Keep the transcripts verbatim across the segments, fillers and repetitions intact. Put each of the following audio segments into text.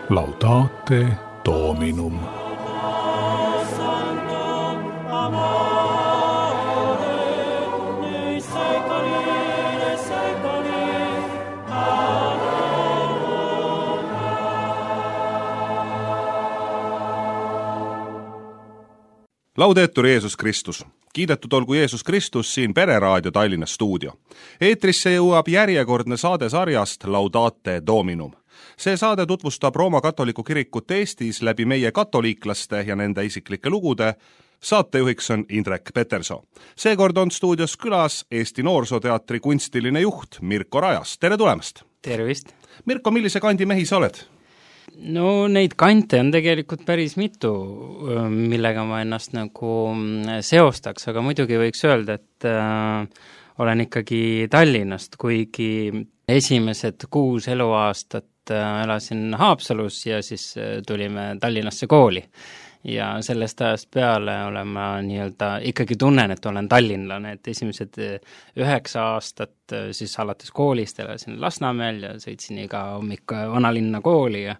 Laudate Dominum. Laudetur Jeesus Kristus. Kiidetud olgu Jeesus Kristus siin Pereraadio Tallinna stuudio. Eetrisse jõuab järjekordne saade sarjast Laudate Dominum. See saade tutvustab Rooma katoliku kirikut Eestis läbi meie katoliiklaste ja nende isiklike lugude. Saatejuhiks on Indrek Peterson. Seekord on stuudios külas Eesti Noorsooteatri kunstiline juht Mirko Rajas. Tere tulemast! Tervist! Mirko, millise kandi mehi sa oled? No neid kante on tegelikult päris mitu, millega ma ennast nagu seostaks, aga muidugi võiks öelda, et äh, olen ikkagi Tallinnast, kuigi esimesed kuus eluaastat äh, elasin Haapsalus ja siis äh, tulime Tallinnasse kooli. Ja sellest ajast peale olen ma nii-öelda ikkagi tunnen, et olen tallinlane, et esimesed üheksa aastat siis alates koolist elasin Lasnamäel ja sõitsin iga hommik vanalinna kooli ja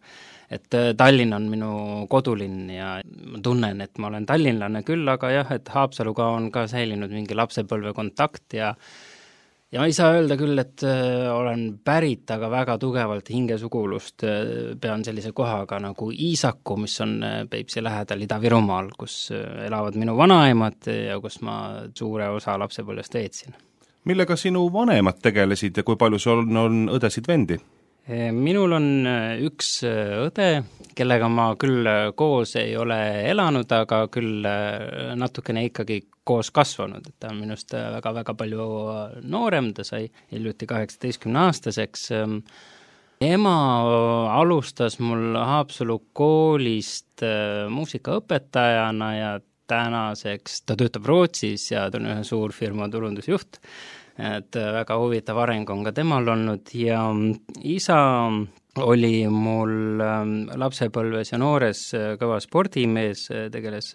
et Tallinn on minu kodulinn ja ma tunnen, et ma olen tallinlane küll, aga jah, et Haapsaluga on ka säilinud mingi lapsepõlve kontakt ja Ja ma ei saa öelda küll, et äh, olen pärit, aga väga tugevalt hingesugulust äh, pean sellise kohaga nagu Iisaku, mis on äh, Peipsi lähedal Ida-Virumaal, kus äh, elavad minu vanaemad ja kus ma suure osa lapsepõlvest veetsin. Millega sinu vanemad tegelesid ja kui palju sul on, on õdesid vendi? Minul on üks õde, kellega ma küll koos ei ole elanud, aga küll natukene ikkagi koos kasvanud, et ta on minust väga-väga palju noorem, ta sai hiljuti kaheksateistkümne aastaseks. Ema alustas mul Haapsalu koolist muusikaõpetajana ja tänaseks ta töötab Rootsis ja ta on ühe suurfirma turundusjuht. Et väga huvitav areng on ka temal olnud ja isa oli mul lapsepõlves ja noores kõva spordimees, tegeles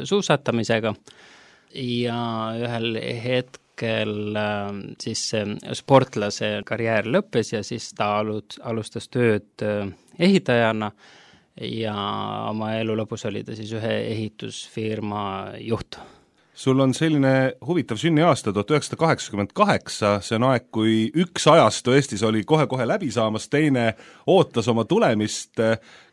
suusatamisega ja ühel hetkel siis sportlase karjäär lõppes ja siis ta alustas tööd ehitajana ja oma elu lõpus oli ta siis ühe ehitusfirma juht. Sul on selline huvitav sünniaasta tuhat üheksasada kaheksakümmend kaheksa, see on aeg, kui üks ajastu Eestis oli kohe-kohe läbi saamas, teine ootas oma tulemist.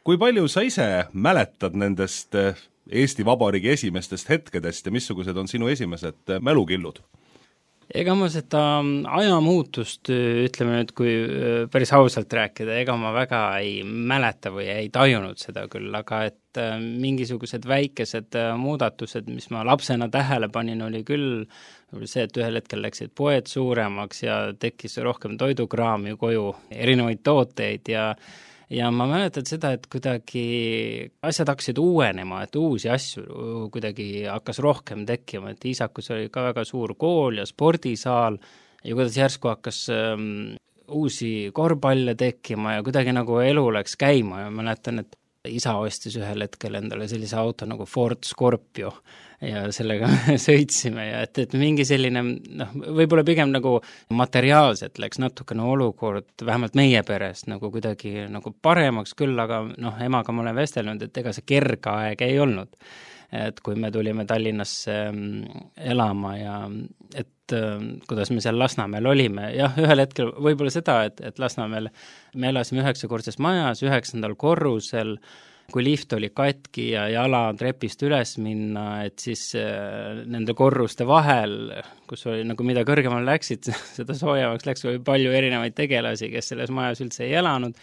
Kui palju sa ise mäletad nendest Eesti Vabariigi esimestest hetkedest ja missugused on sinu esimesed mälukillud? Ega ma seda ajamuutust, ütleme nüüd, kui päris ausalt rääkida, ega ma väga ei mäleta või ei tajunud seda küll, aga et mingisugused väikesed muudatused, mis ma lapsena tähele panin, oli küll see, et ühel hetkel läksid poed suuremaks ja tekkis rohkem toidukraami koju, erinevaid tooteid ja Ja ma mäletan seda, et kuidagi asjad hakkasid uuenema, et uusi asju kuidagi hakkas rohkem tekkima, et Iisakus oli ka väga suur kool ja spordisaal ja kuidas järsku hakkas ähm, uusi korvpalle tekkima ja kuidagi nagu elu läks käima ja mäletan, et isa ostis ühel hetkel endale sellise auto nagu Ford Scorpio ja sellega sõitsime ja et, et mingi selline, noh, võib-olla pigem nagu materiaalselt läks natukene olukord, vähemalt meie perest nagu kuidagi nagu paremaks küll, aga noh, emaga ma olen vestelnud, et ega see kerge aeg ei olnud. Et kui me tulime Tallinnasse elama ja et kuidas me seal Lasnamäel olime, jah, ühel hetkel võib-olla seda, et, et Lasnamäel me elasime üheksakordses majas, üheksandal korrusel, kui lift oli katki ja jala trepist üles minna, et siis äh, nende korruste vahel, kus oli nagu mida kõrgemal läksid, seda soojemaks läks, oli palju erinevaid tegelasi, kes selles majas üldse ei elanud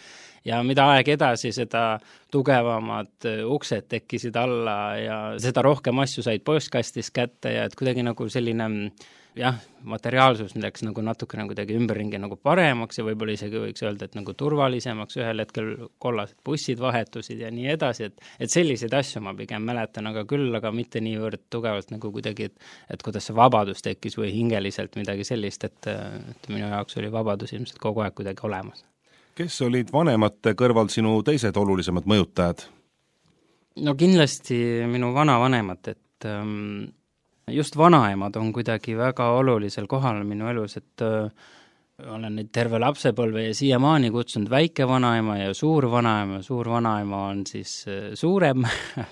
ja mida aeg edasi, seda tugevamad uksed tekkisid alla ja seda rohkem asju said postkastis kätte ja et kuidagi nagu selline jah, materiaalsus läks nagu natukene kuidagi ümberringi nagu paremaks ja võib-olla isegi võiks öelda, et nagu turvalisemaks, ühel hetkel kollased bussid vahetusid ja nii edasi, et, et selliseid asju ma pigem mäletan, aga küll, aga mitte niivõrd tugevalt nagu kuidagi, et, et kuidas see vabadus tekkis või hingeliselt midagi sellist, et, et minu jaoks oli vabadus ilmselt kogu aeg kuidagi olemas. Kes olid vanemate kõrval sinu teised olulisemad mõjutajad? No kindlasti minu vanavanemad, et ähm, just vanaemad on kuidagi väga olulisel kohal minu elus, et olen nüüd terve lapsepõlve ja siiamaani kutsunud väike vanaema ja suur vanaema. Suur vanaema on siis suurem,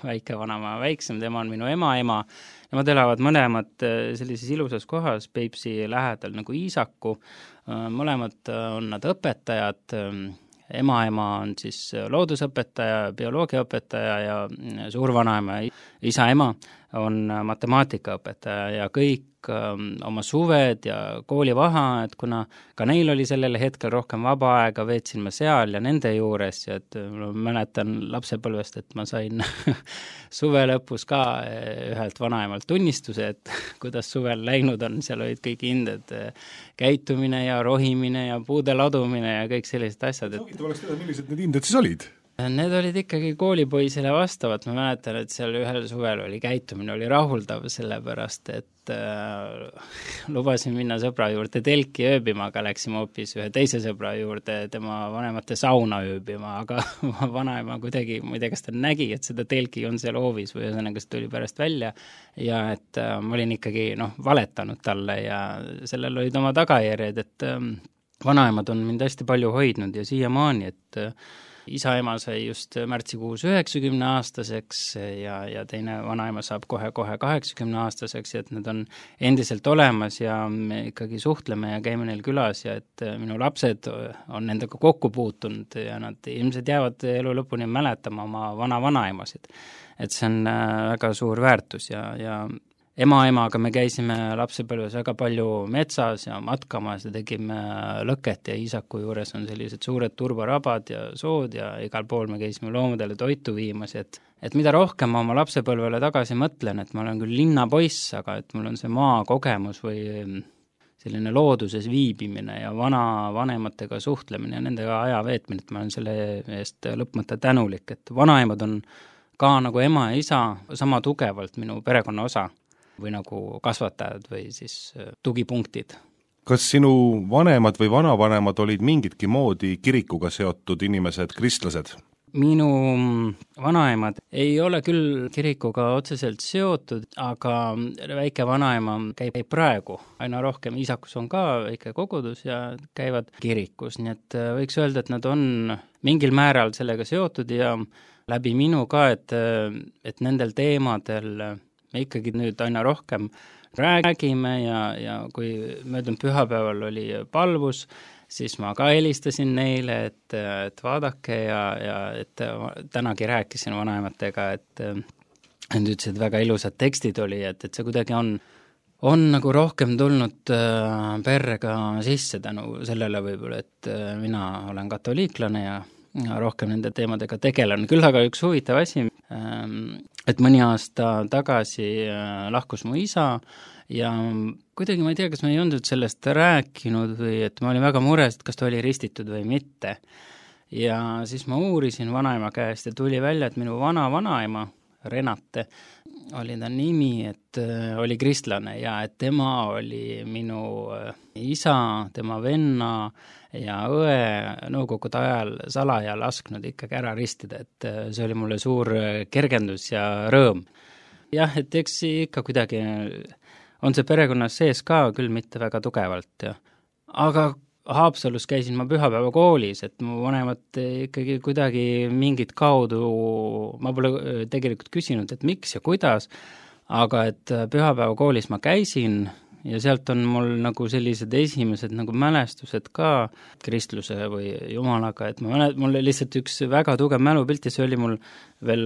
väike vanaema väiksem, tema on minu ema ema. Nemad elavad mõlemad sellises ilusas kohas Peipsi lähedal nagu Iisaku. Mõlemad on nad õpetajad. Ema-ema on siis loodusõpetaja, bioloogiaõpetaja ja suurvanaema, isa-ema on matemaatikaõpetaja ja kõik oma suved ja koolivaheajad, kuna ka neil oli sellel hetkel rohkem vaba aega, veetsin ma seal ja nende juures ja et mäletan lapsepõlvest, et ma sain suve lõpus ka ühelt vanaemalt tunnistuse, et kuidas suvel läinud on, seal olid kõik hinded, käitumine ja rohimine ja puude ladumine ja kõik sellised asjad. Soogitab oleks teda, millised need hinded siis olid? Need olid ikkagi koolipoisile vastavad, ma mäletan, et seal ühel suvel oli käitumine, oli rahuldav sellepärast, et äh, lubasin minna sõbra juurde telki ööbima, aga läksime hoopis ühe teise sõbra juurde tema vanemate sauna ööbima, aga vanaema kuidagi, ma ei tea, kas ta nägi, et seda telki on seal hoovis või ühesõnaga see tuli pärast välja ja et äh, ma olin ikkagi noh, valetanud talle ja sellel olid oma tagajärjed, et äh, vanaemad on mind hästi palju hoidnud ja siiamaani, et äh, isa-ema sai just märtsikuus üheksakümne aastaseks ja, ja teine vanaema saab kohe-kohe kaheksakümne aastaseks ja et need on endiselt olemas ja me ikkagi suhtleme ja käime neil külas ja et minu lapsed on nendega kokku puutunud ja nad ilmselt jäävad elu lõpuni mäletama oma vana-vanaemasid. Et see on väga suur väärtus ja, ja ema-emaga me käisime lapsepõlves väga palju metsas ja matkamas ja tegime lõket ja Iisaku juures on sellised suured turbarabad ja sood ja igal pool me käisime loomadele toitu viimas, et, et mida rohkem ma oma lapsepõlvele tagasi mõtlen, et ma olen küll linnapoiss, aga et mul on see maakogemus või selline looduses viibimine ja vana vanematega suhtlemine ja nendega aja veetmine, et ma olen selle eest lõpmata tänulik, et vanaemad on ka nagu ema ja isa sama tugevalt minu perekonna osa või nagu kasvatajad või siis tugipunktid. Kas sinu vanemad või vanavanemad olid mingitki moodi kirikuga seotud inimesed, kristlased? Minu vanaemad ei ole küll kirikuga otseselt seotud, aga väike vanaema käib praegu. Aina rohkem Iisakus on ka väike kogudus ja käivad kirikus, nii et võiks öelda, et nad on mingil määral sellega seotud ja läbi minu ka, et, et nendel teemadel me ikkagi nüüd aina rohkem räägime ja, ja kui möödunud pühapäeval oli palvus, siis ma ka helistasin neile, et, et vaadake ja, ja et tänagi rääkisin vanaematega, et nad ütlesid, väga ilusad tekstid oli, et, et see kuidagi on, on nagu rohkem tulnud perrega sisse tänu sellele võib-olla, et mina olen katoliiklane ja Ja rohkem nende teemadega tegelen. Küll aga üks huvitav asi, et mõni aasta tagasi lahkus mu isa ja kuidagi ma ei tea, kas ma ei olnud sellest rääkinud või et ma olin väga mures, et kas ta oli ristitud või mitte. Ja siis ma uurisin vanaema käest ja tuli välja, et minu vana-vanaema, Renate, oli ta nimi, et oli kristlane ja et tema oli minu isa, tema venna ja õe nõukogude ajal salaja lasknud ikkagi ära ristida, et see oli mulle suur kergendus ja rõõm. Jah, et eks ikka kuidagi on see perekonnas sees ka, küll mitte väga tugevalt. Ja. Aga Haapsalus käisin ma pühapäeva koolis, et mu vanemad ikkagi kuidagi mingit kaudu, ma pole tegelikult küsinud, et miks ja kuidas, aga et pühapäeva koolis ma käisin ja sealt on mul nagu sellised esimesed nagu mälestused ka kristluse või jumalaga, et ma mälet, mul lihtsalt üks väga tugev mälupilt ja see oli mul veel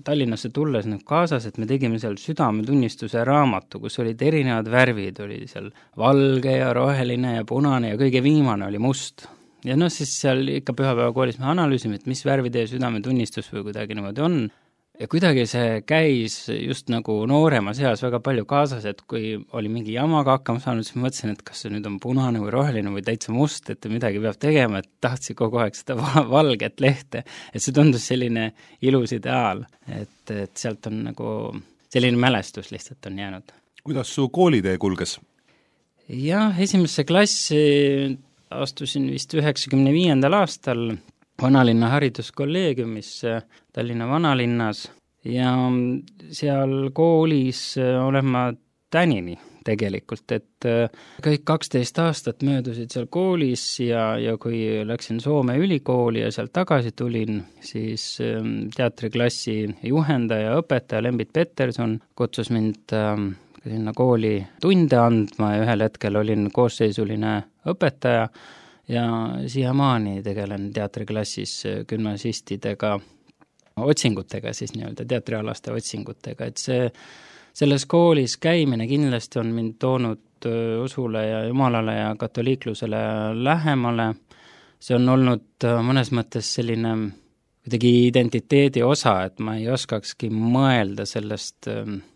Tallinnasse tulles nagu kaasas, et me tegime seal südametunnistuse raamatu, kus olid erinevad värvid, oli seal valge ja roheline ja punane ja kõige viimane oli must. Ja noh, siis seal ikka pühapäeva koolis me analüüsime, et mis värvi teie südametunnistus või kuidagi niimoodi on. Ja kuidagi see käis just nagu nooremas eas väga palju kaasas, et kui oli mingi jamaga hakkama saanud, siis mõtlesin, et kas see nüüd on punane või roheline või täitsa must, et midagi peab tegema, et tahtsin kogu aeg seda valget lehte, et see tundus selline ilus ideaal, et, et sealt on nagu selline mälestus lihtsalt on jäänud. Kuidas su koolitee kulges? Jah, esimesse klassi astusin vist üheksakümne viiendal aastal Vanalinna hariduskolleegiumis Tallinna vanalinnas ja seal koolis olen ma tänini tegelikult, et kõik kaksteist aastat möödusid seal koolis ja, ja kui läksin Soome ülikooli ja sealt tagasi tulin, siis teatriklassi juhendaja, õpetaja Lembit Peterson kutsus mind sinna kooli tunde andma ja ühel hetkel olin koosseisuline õpetaja ja siiamaani tegelen teatriklassis gümnasistidega otsingutega, siis nii-öelda teatrialaste otsingutega, et see, selles koolis käimine kindlasti on mind toonud usule ja jumalale ja katoliiklusele lähemale. See on olnud mõnes mõttes selline kuidagi identiteedi osa, et ma ei oskakski mõelda sellest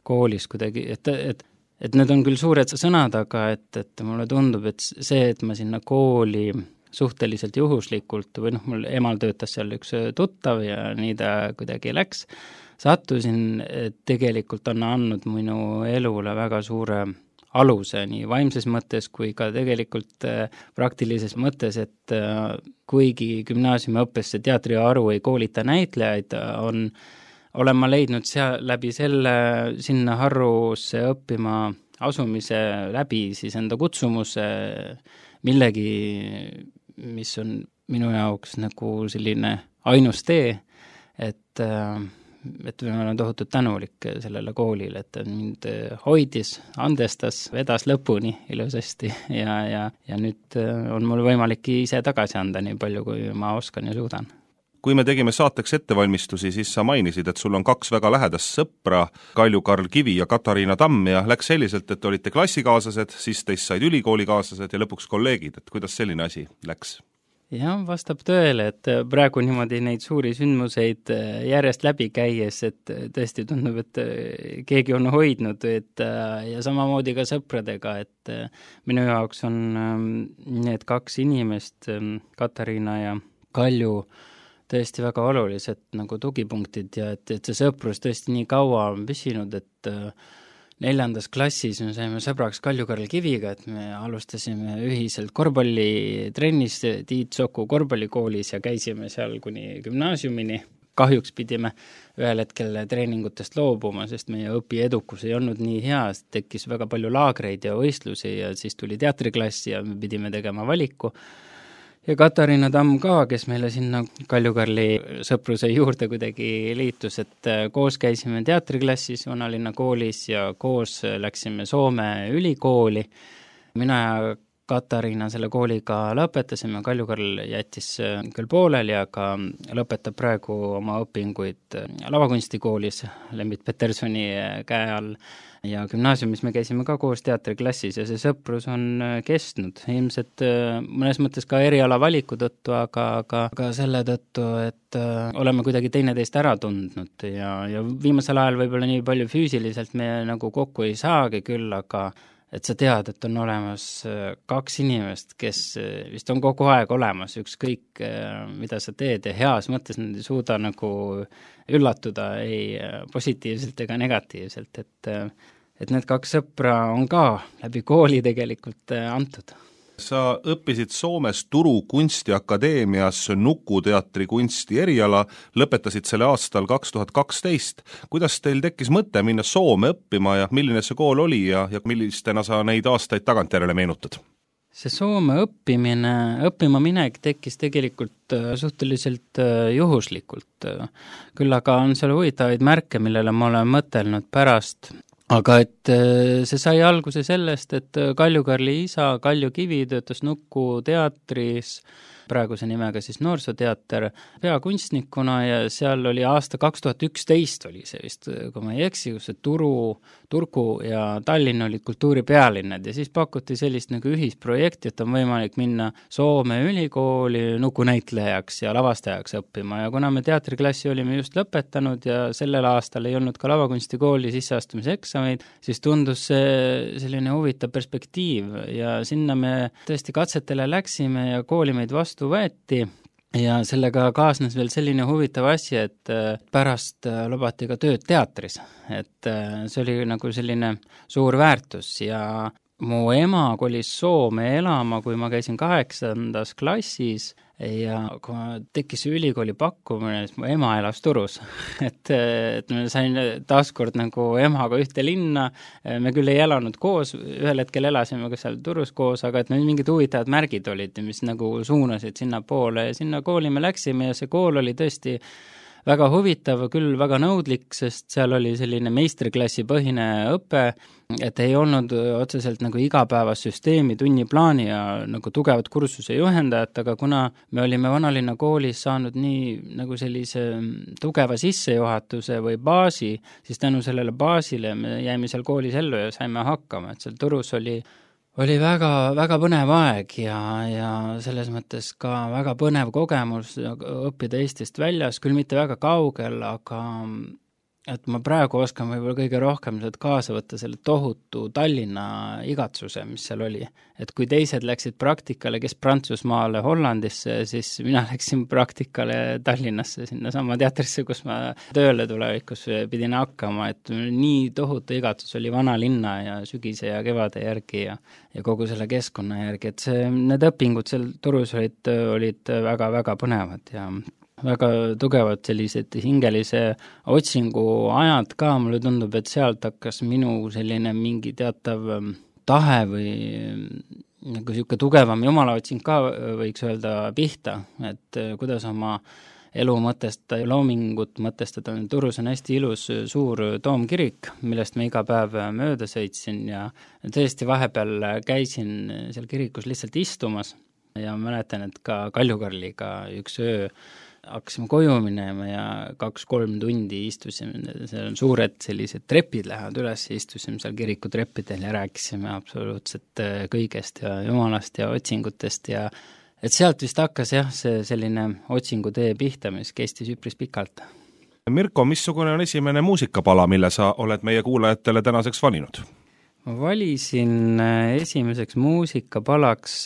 koolis kuidagi, et, et, et need on küll suured sõnad, aga et, et mulle tundub, et see, et ma sinna kooli suhteliselt juhuslikult või noh, mul emal töötas seal üks tuttav ja nii ta kuidagi läks, sattusin, et tegelikult on andnud minu elule väga suure aluse nii vaimses mõttes kui ka tegelikult praktilises mõttes, et kuigi gümnaasiumiõppesse teatriharu ei koolita näitlejaid, on, olen ma leidnud seal läbi selle sinna harrusse õppima asumise läbi siis enda kutsumuse millegi, mis on minu jaoks nagu selline ainus tee, et et ma olen tohutult tänulik sellele koolile, et mind hoidis, andestas, vedas lõpuni ilusasti ja, ja, ja nüüd on mul võimalik ise tagasi anda nii palju, kui ma oskan ja suudan. Kui me tegime saateks ettevalmistusi, siis sa mainisid, et sul on kaks väga lähedast sõpra, Kalju-Karl Kivi ja Katariina Tamm ja läks selliselt, et olite klassikaaslased, siis teist said ülikoolikaaslased ja lõpuks kolleegid, et kuidas selline asi läks? Jah, vastab tõele, et praegu niimoodi neid suuri sündmuseid järjest läbi käies, et tõesti tundub, et keegi on hoidnud, et ja samamoodi ka sõpradega, et minu jaoks on need kaks inimest, Katariina ja Kalju, tõesti väga olulised nagu tugipunktid ja et, et see sõprus tõesti nii kaua on püsinud, et neljandas klassis me saime sõbraks Kalju-Karl Kiviga, et me alustasime ühiselt korvpallitrennis Tiit Soku korvpallikoolis ja käisime seal kuni gümnaasiumini. Kahjuks pidime ühel hetkel treeningutest loobuma, sest meie õpiedukus ei olnud nii hea, tekkis väga palju laagreid ja võistlusi ja siis tuli teatriklassi ja me pidime tegema valiku. Ja Katariina Tamm ka, kes meile sinna Kalju-Karli sõpruse juurde kuidagi liitus, et koos käisime teatriklassis Vanalinna koolis ja koos läksime Soome ülikooli. Mina ja Katariina selle kooliga lõpetasime, Kalju-Karl jättis küll pooleli, aga lõpetab praegu oma õpinguid lavakunstikoolis Lembit Petersoni käe all. Ja gümnaasiumis me käisime ka koos teatriklassis ja see sõprus on kestnud. Ilmselt mõnes mõttes ka eriala valiku tõttu, aga, aga, aga selle tõttu, et oleme kuidagi teineteist ära tundnud ja, ja viimasel ajal võib-olla nii palju füüsiliselt me nagu kokku ei saagi küll, aga et sa tead, et on olemas kaks inimest, kes vist on kogu aeg olemas, ükskõik mida sa teed ja heas mõttes nad ei suuda nagu üllatuda ei positiivselt ega negatiivselt, et, et need kaks sõpra on ka läbi kooli tegelikult antud. Sa õppisid Soomes Turu kunstiakadeemias nukuteatri kunsti eriala, lõpetasid selle aastal kaks tuhat kaksteist. Kuidas teil tekkis mõte minna Soome õppima ja milline see kool oli ja, ja millistena sa neid aastaid tagantjärele meenutad? See Soome õppimine, õppima minek tekkis tegelikult suhteliselt juhuslikult. Küll aga on seal huvitavaid märke, millele ma olen mõtelnud pärast. Aga et see sai alguse sellest, et Kalju-Karli isa Kalju Kivi töötas Nuku teatris, praeguse nimega siis Noorsooteater, peakunstnikuna ja seal oli aasta kaks tuhat üksteist oli see vist, kui ma ei eksi, kus see Turu, Turku ja Tallinn olid kultuuripealinnad ja siis pakuti sellist nagu ühisprojekti, et on võimalik minna Soome ülikooli nukunäitlejaks ja lavastajaks õppima ja kuna me teatriklassi olime just lõpetanud ja sellel aastal ei olnud ka lavakunstikooli sisseastumise eksameid, siis tundus see selline huvitav perspektiiv ja sinna me tõesti katsetele läksime ja kooli meid vastu võeti ja sellega kaasnes veel selline huvitav asi, et pärast lubati ka tööd teatris, et see oli nagu selline suur väärtus ja mu ema kolis Soome elama, kui ma käisin kaheksandas klassis, ja kui ma tekkis ülikooli pakkumine, siis mu ema elas Turus. et, et ma sain taaskord nagu emaga ühte linna, me küll ei elanud koos, ühel hetkel elasime ka seal Turus koos, aga et meil mingid huvitavad märgid olid, mis nagu suunasid sinna poole ja sinna kooli me läksime ja see kool oli tõesti väga huvitav, küll väga nõudlik, sest seal oli selline meistriklassi põhine õpe, et ei olnud otseselt nagu igapäevassüsteemi, tunniplaani ja nagu tugevat kursuse juhendajat, aga kuna me olime Vanalinna koolis saanud nii nagu sellise tugeva sissejuhatuse või baasi, siis tänu sellele baasile me jäime seal koolis ellu ja saime hakkama, et seal Turus oli oli väga, väga põnev aeg ja, ja selles mõttes ka väga põnev kogemus õppida Eestist väljas, küll mitte väga kaugel, aga et ma praegu oskan võib-olla kõige rohkem sealt kaasa võtta selle tohutu Tallinna igatsuse, mis seal oli. Et kui teised läksid praktikale, kes Prantsusmaale, Hollandisse, siis mina läksin praktikale Tallinnasse, sinna sama teatrisse, kus ma tööle tulevikus pidin hakkama, et nii tohutu igatsus oli Vanalinna ja sügise ja kevade järgi ja, ja kogu selle keskkonna järgi, et see, need õpingud seal Turus olid, olid väga-väga põnevad ja väga tugevad sellised hingelise otsingu ajad ka, mulle tundub, et sealt hakkas minu selline mingi teatav tahe või nagu siuke tugevam jumalaotsing ka võiks öelda pihta, et kuidas oma elu mõtestada ja loomingut mõtestada. Turus on hästi ilus suur toomkirik, millest ma iga päev mööda sõitsin ja tõesti vahepeal käisin seal kirikus lihtsalt istumas ja mäletan, et ka Kaljukarliga üks öö hakkasime koju minema ja kaks-kolm tundi istusime, seal on suured sellised trepid lähevad üles, istusime seal kiriku treppidel ja rääkisime absoluutselt kõigest ja jumalast ja otsingutest ja et sealt vist hakkas jah, see selline otsingutee pihta, mis kestis üpris pikalt. Mirko, missugune on esimene muusikapala, mille sa oled meie kuulajatele tänaseks valinud? Ma valisin esimeseks muusikapalaks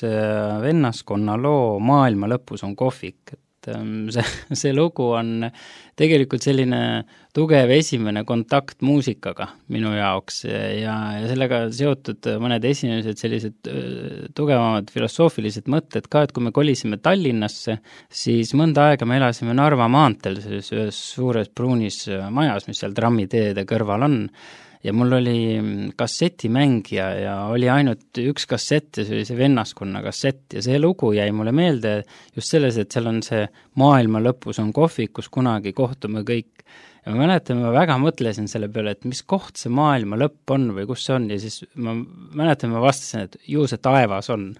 vennaskonna loo Maailma lõpus on kohvik. See, see lugu on tegelikult selline tugev esimene kontakt muusikaga minu jaoks ja, ja sellega seotud mõned esimesed sellised tugevamad filosoofilised mõtted ka, et kui me kolisime Tallinnasse, siis mõnda aega me elasime Narva maanteel selles ühes suures pruunis majas, mis seal trammiteede kõrval on. Ja mul oli kassetimängija ja oli ainult üks kassett ja see oli see vennaskonna kassett ja see lugu jäi mulle meelde just selles, et seal on see maailma lõpus on kohvik, kus kunagi kohtume kõik. Ja ma mäletan, ma väga mõtlesin selle peale, et mis koht see maailma lõpp on või kus see on ja siis ma mäletan, ma vastasin, et ju see taevas on.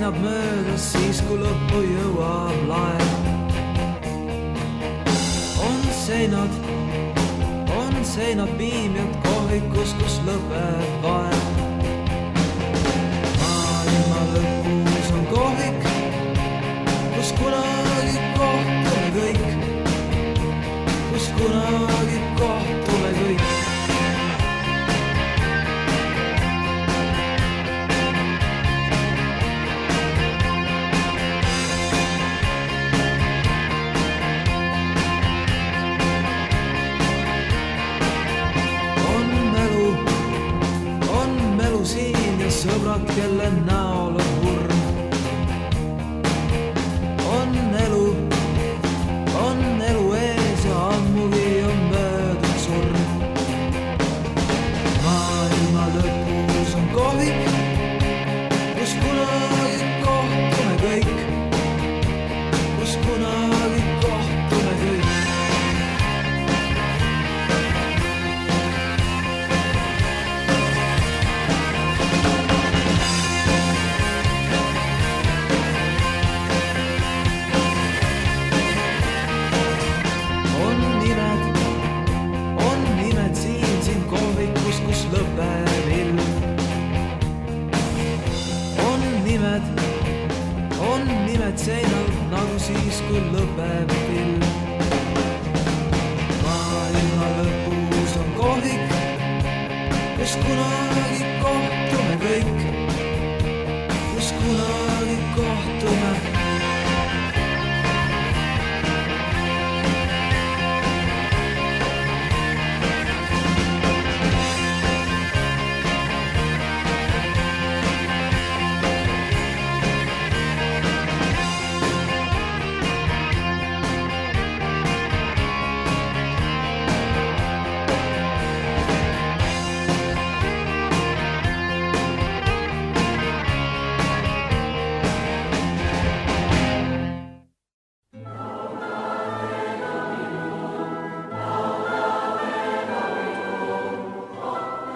Möödas siis, kui lõppu jõuab laev. On seinad, on seinad piimjad kohvikus, kus lõpeb vaev. Maailma lõpus on kohvik, kus kunagi kohtume kõik, kus kunagi kohtume kõik. Sõbrad, kelle näol on hurm. On elu, on elu ees ja ammugi on möödunud surm. Maailma lõpus on kohvik, kus kunagi kohtume kõik, kus kunagi kohtume kõik. Seinal nagu siis, kui lõpeb film. Maailma lõpus on kohvik, kus kunagi kohtume kõik, kus kunagi kohtume.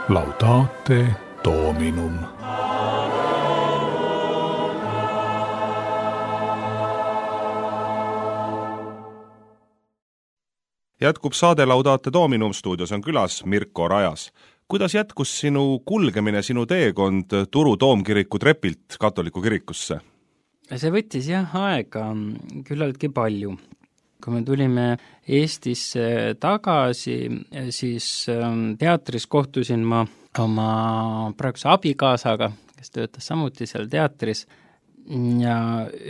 Laudate Dominum. Jätkub saade Laudate Dominum, stuudios on külas Mirko Rajas. Kuidas jätkus sinu kulgemine, sinu teekond Turu Toomkiriku trepilt katoliku kirikusse? See võttis jah aega küllaltki palju. Kui me tulime Eestisse tagasi, siis teatris kohtusin ma oma praeguse abikaasaga, kes töötas samuti seal teatris, ja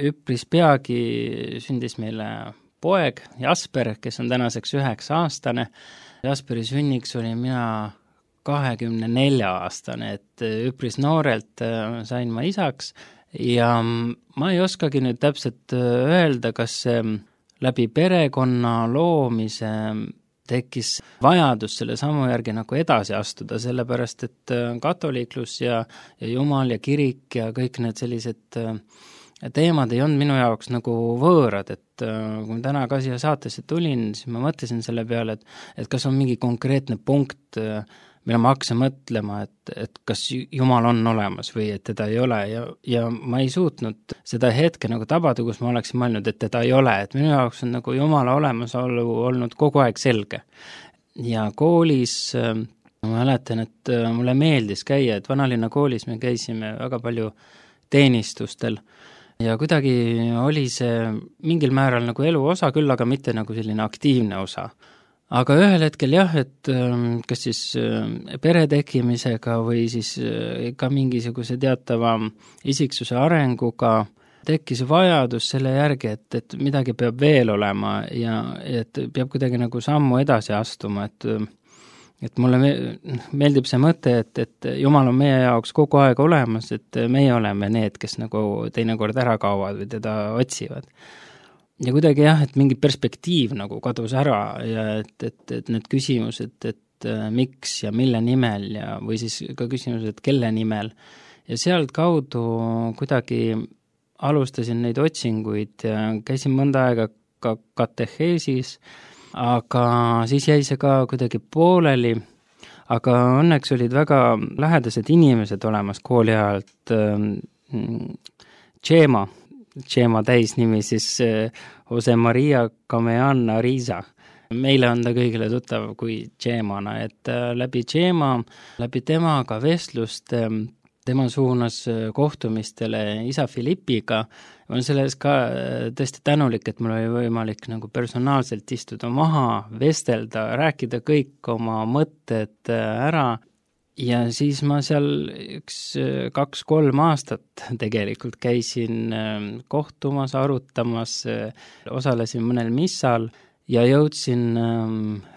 üpris peagi sündis meile poeg Jasper, kes on tänaseks üheksa aastane. Jasperi sünniks oli mina kahekümne nelja aastane, et üpris noorelt sain ma isaks ja ma ei oskagi nüüd täpselt öelda, kas läbi perekonna loomise tekkis vajadus selle sammu järgi nagu edasi astuda, sellepärast et katoliiklus ja, ja Jumal ja kirik ja kõik need sellised teemad ei olnud minu jaoks nagu võõrad, et kui ma täna ka siia saatesse tulin, siis ma mõtlesin selle peale, et, et kas on mingi konkreetne punkt, mille ma hakkasin mõtlema, et, et kas Jumal on olemas või et teda ei ole ja, ja ma ei suutnud seda hetke nagu tabada, kus ma oleksin mõelnud, et teda ei ole, et minu jaoks on nagu Jumala olemasolu olnud kogu aeg selge. Ja koolis ma mäletan, et mulle meeldis käia, et Vanalinna koolis me käisime väga palju teenistustel ja kuidagi oli see mingil määral nagu elu osa küll, aga mitte nagu selline aktiivne osa. Aga ühel hetkel jah, et kas siis pere tekkimisega või siis ka mingisuguse teatava isiksuse arenguga tekkis vajadus selle järgi, et, et midagi peab veel olema ja et peab kuidagi nagu sammu edasi astuma, et, et mulle meeldib see mõte, et, et Jumal on meie jaoks kogu aeg olemas, et meie oleme need, kes nagu teinekord ära kaovad või teda otsivad. Ja kuidagi jah, et mingi perspektiiv nagu kadus ära ja et, et, et need küsimused, et miks ja mille nimel ja või siis ka küsimused, et kelle nimel. Ja sealt kaudu kuidagi alustasin neid otsinguid ja käisin mõnda aega ka kateheesis, aga siis jäi see ka kuidagi pooleli, aga õnneks olid väga lähedased inimesed olemas kooli ajalt, Tšeema, Tšeema täisnimi siis Jose Maria Kameana Riisa. Meile on ta kõigile tuttav kui Tšeemana, et läbi Tšeema, läbi temaga vestlust, tema suunas kohtumistele isa Filipiga, on selles ka tõesti tänulik, et mul oli võimalik nagu personaalselt istuda maha, vestelda, rääkida kõik oma mõtted ära. Ja siis ma seal üks kaks-kolm aastat tegelikult käisin kohtumas, arutamas, osalesin mõnel missal ja jõudsin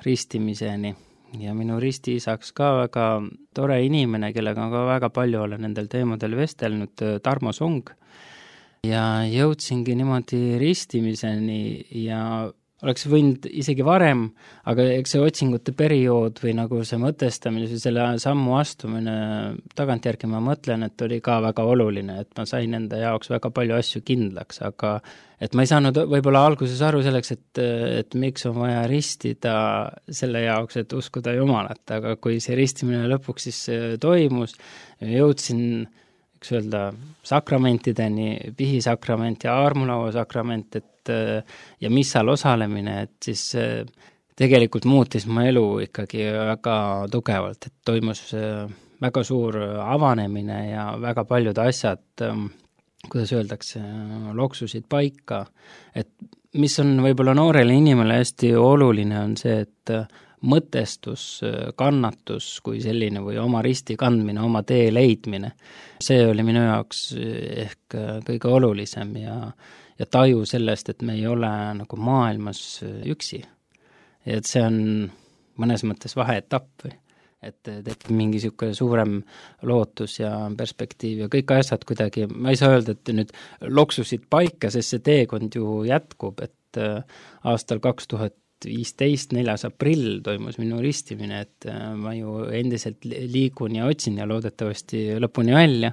ristimiseni. Ja minu ristiisaks ka väga tore inimene, kellega ka väga palju olen nendel teemadel vestelnud, Tarmo Sung. Ja jõudsingi niimoodi ristimiseni ja oleks võinud isegi varem, aga eks see otsingute periood või nagu see mõtestamine, selle sammu astumine tagantjärgi ma mõtlen, et oli ka väga oluline, et ma sain enda jaoks väga palju asju kindlaks, aga et ma ei saanud võib-olla alguses aru selleks, et, et miks on vaja ristida selle jaoks, et uskuda Jumalat, aga kui see ristimine lõpuks siis toimus, jõudsin üks öelda sakramentideni, pihisakrament ja armulaua sakrament, et ja missal osalemine, et siis tegelikult muutis mu elu ikkagi väga tugevalt, et toimus väga suur avanemine ja väga paljud asjad, kuidas öeldakse, loksusid paika, et mis on võib-olla noorele inimele hästi oluline, on see, et mõtestus, kannatus kui selline või oma risti kandmine, oma tee leidmine, see oli minu jaoks ehk kõige olulisem ja, ja taju sellest, et me ei ole nagu maailmas üksi. Ja et see on mõnes mõttes vaheetapp või et tekib mingi niisugune suurem lootus ja perspektiiv ja kõik asjad kuidagi, ma ei saa öelda, et nüüd loksusid paika, sest see teekond ju jätkub, et aastal kaks tuhat viisteist, neljas aprill toimus minu ristimine, et ma ju endiselt liigun ja otsin ja loodetavasti lõpuni välja,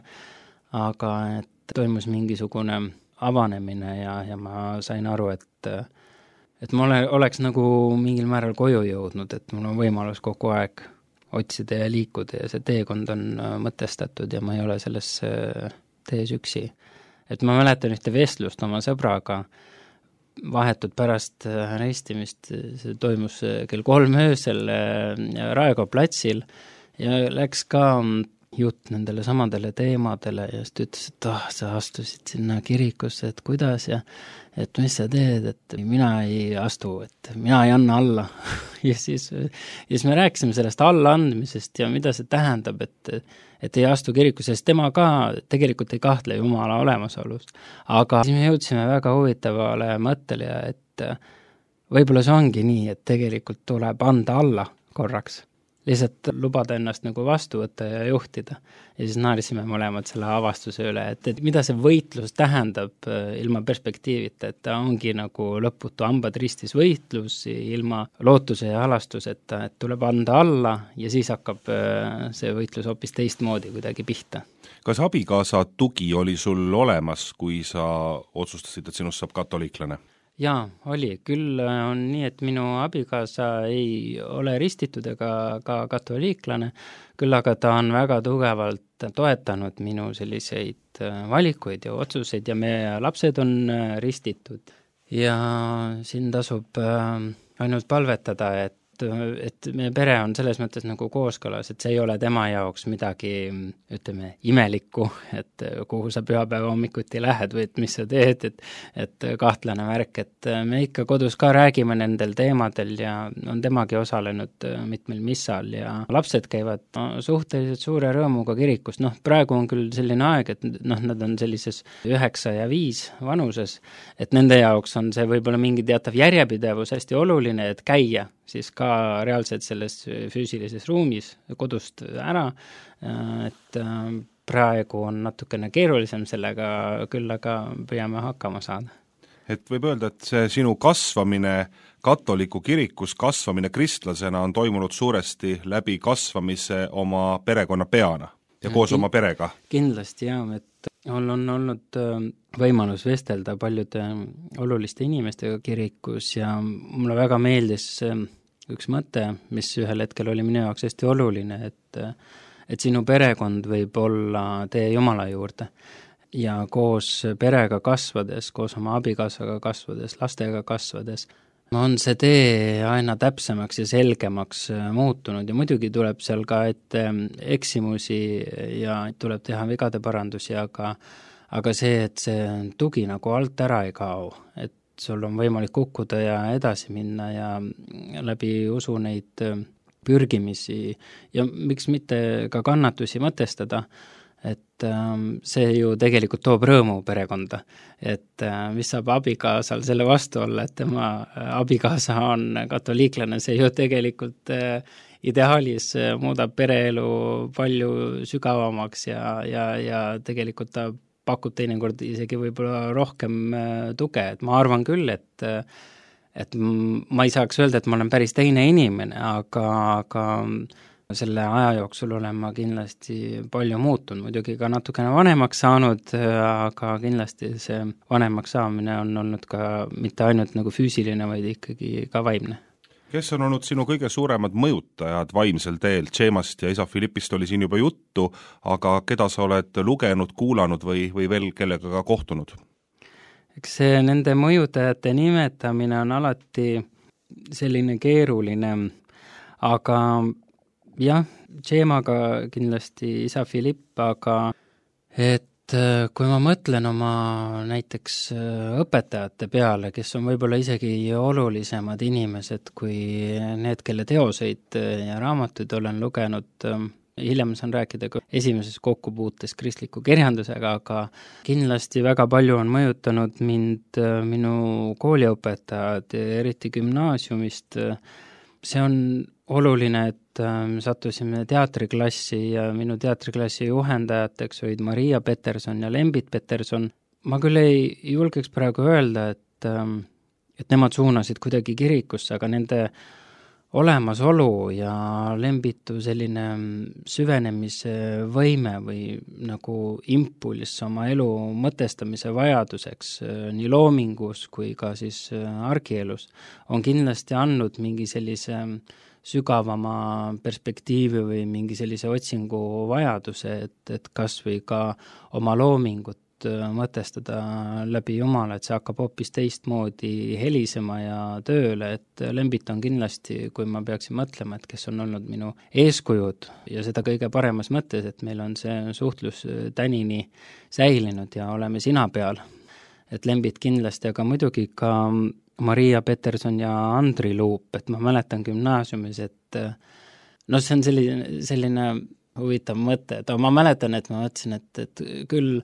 aga et toimus mingisugune avanemine ja, ja ma sain aru, et et ma ole, oleks nagu mingil määral koju jõudnud, et mul on võimalus kogu aeg otsida ja liikuda ja see teekond on mõtestatud ja ma ei ole selles tees üksi. Et ma mäletan ühte vestlust oma sõbraga, vahetud pärast ristimist, see toimus kell kolm öösel Raekoja platsil ja läks ka jutt nendele samadele teemadele ja siis ta ütles, et ah, sa astusid sinna kirikusse, et kuidas ja et mis sa teed, et mina ei astu, et mina ei anna alla. ja, siis, ja siis me rääkisime sellest allaandmisest ja mida see tähendab, et, et ei astu kirikusse, sest tema ka tegelikult ei kahtle Jumala olemasolus. Aga siis me jõudsime väga huvitavale mõttele, et võib-olla see ongi nii, et tegelikult tuleb anda alla korraks. Lihtsalt lubada ennast nagu vastu võtta ja juhtida. Ja siis naarisime mõlemad selle avastuse üle, et, et mida see võitlus tähendab ilma perspektiivita, et ta ongi nagu lõputu hambad ristis võitlus ilma lootuse ja halastuseta, et tuleb anda alla ja siis hakkab see võitlus hoopis teistmoodi kuidagi pihta. Kas abikaasa tugi oli sul olemas, kui sa otsustasid, et sinust saab katoliiklane? Jaa, oli. Küll on nii, et minu abikaasa ei ole ristitud ega ka katoliiklane, küll aga ta on väga tugevalt toetanud minu selliseid valikuid ja otsuseid ja meie lapsed on ristitud. Ja siin tasub ainult palvetada, et et meie pere on selles mõttes nagu kooskõlas, et see ei ole tema jaoks midagi, ütleme, imelikku, et kuhu sa pühapäeva hommikuti lähed või et mis sa teed, et, et kahtlane värk, et me ikka kodus ka räägime nendel teemadel ja on temagi osalenud mitmel missal ja lapsed käivad no, suhteliselt suure rõõmuga kirikus. Noh, praegu on küll selline aeg, et noh, nad on sellises üheksa ja viis vanuses, et nende jaoks on see võib-olla mingi teatav järjepidevus hästi oluline, et käia siis ka reaalselt selles füüsilises ruumis kodust ära, et praegu on natukene keerulisem sellega, küll aga püüame hakkama saada. Et võib öelda, et see sinu kasvamine katoliku kirikus, kasvamine kristlasena on toimunud suuresti läbi kasvamise oma perekonna peana ja koos Kin- oma perega? Kindlasti jah, et on, on olnud võimalus vestelda paljude oluliste inimestega kirikus ja mulle väga meeldis üks mõte, mis ühel hetkel oli minu jaoks hästi oluline, et, et sinu perekond võib olla tee Jumala juurde ja koos perega kasvades, koos oma abikaasaga kasvades, lastega kasvades, on see tee aina täpsemaks ja selgemaks muutunud ja muidugi tuleb seal ka ette eksimusi ja tuleb teha vigade parandusi, aga, aga see, et see tugi nagu alt ära ei kao, et sul on võimalik kukkuda ja edasi minna ja läbi usu neid pürgimisi ja miks mitte ka kannatusi mõtestada, et see ju tegelikult toob rõõmu perekonda. Et mis saab abikaasal selle vastu olla, et tema abikaasa on katoliiklane, see ju tegelikult ideaalis muudab pereelu palju sügavamaks ja, ja, ja tegelikult ta pakub teinekord isegi võib-olla rohkem tuge, et ma arvan küll, et et ma ei saaks öelda, et ma olen päris teine inimene, aga, aga selle aja jooksul olen ma kindlasti palju muutunud, muidugi ka natukene vanemaks saanud, aga kindlasti see vanemaks saamine on olnud ka mitte ainult nagu füüsiline, vaid ikkagi ka vaimne. Kes on olnud sinu kõige suuremad mõjutajad vaimsel teel? Tšeemast ja isa Filippist oli siin juba juttu, aga keda sa oled lugenud, kuulanud või, või veel kellega ka kohtunud? Eks see nende mõjutajate nimetamine on alati selline keeruline, aga jah, Tšeemaga kindlasti isa Filipp, aga et et kui ma mõtlen oma näiteks õpetajate peale, kes on võib-olla isegi olulisemad inimesed kui need, kelle teoseid ja raamatuid olen lugenud, hiljem saan rääkida ka esimeses kokkupuutes kristliku kirjandusega, aga kindlasti väga palju on mõjutanud mind minu kooliõpetajad, eriti gümnaasiumist. See on oluline, et sattusime teatriklassi ja minu teatriklassi juhendajateks olid Maria Peterson ja Lembit Peterson. Ma küll ei julgeks praegu öelda, et, et nemad suunasid kuidagi kirikusse, aga nende olemasolu ja Lembitu selline süvenemise võime või nagu impulss oma elu mõtestamise vajaduseks nii loomingus kui ka siis argielus on kindlasti andnud mingi sellise sügavama perspektiivi või mingi sellise otsingu vajaduse, et, et kas või ka oma loomingut mõtestada läbi Jumala, et see hakkab hoopis teistmoodi helisema ja tööle, et Lembit on kindlasti, kui ma peaksin mõtlema, et kes on olnud minu eeskujud ja seda kõige paremas mõttes, et meil on see suhtlus tänini säilinud ja oleme sina peal. Et Lembit kindlasti, aga muidugi ka Maria Peterson ja Andri Luup, et ma mäletan gümnaasiumis, et no see on selline, selline huvitav mõte, et ma mäletan, et ma mõtlesin, et, et küll